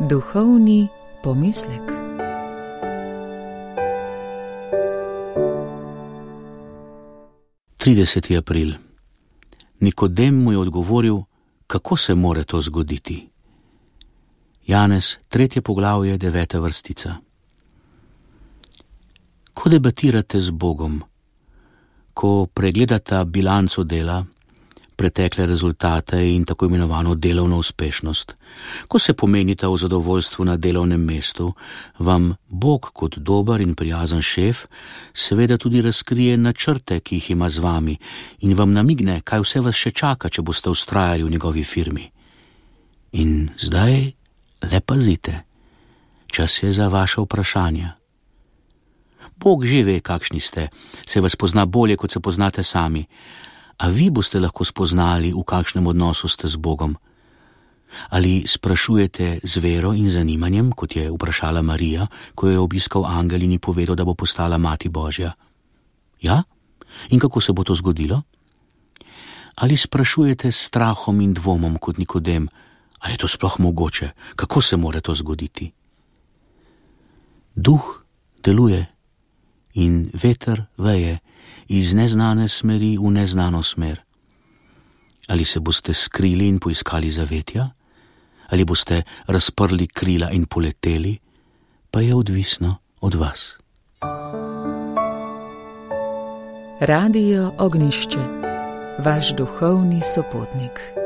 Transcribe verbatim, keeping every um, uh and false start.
Duhovni pomislek. trideseti april. Nikodem mu je odgovoril, kako se more to zgoditi. Janez, tretje poglavje, deveta vrstica. Ko debatirate z Bogom, ko pregledata bilanco dela, pretekle rezultate in tako imenovano delovno uspešnost, ko se pomenita v zadovoljstvu na delovnem mestu, vam Bog kot dober in prijazen šef seveda tudi razkrije načrte, ki jih ima z vami, in vam namigne, kaj vse vas še čaka, če boste vztrajali v njegovi firmi. In zdaj le pazite, čas je za vaše vprašanja. Bog že ve, kakšni ste, se vas pozna bolje, kot se poznate sami, a vi boste lahko spoznali, v kakšnem odnosu ste z Bogom. Ali sprašujete z vero in zanimanjem, kot je vprašala Marija, ko jo je obiskal angel in ji povedal, da bo postala mati Božja? Ja? In kako se bo to zgodilo? Ali sprašujete s strahom in dvomom, kot Nikodem, a je to sploh mogoče? Kako se more to zgoditi? Duh deluje in veter veje iz neznane smeri v neznano smer. Ali se boste skrili in poiskali zavetja? Ali boste razprli krila in poleteli? Pa je odvisno od vas. Radio Ognjišče, vaš duhovni sopotnik.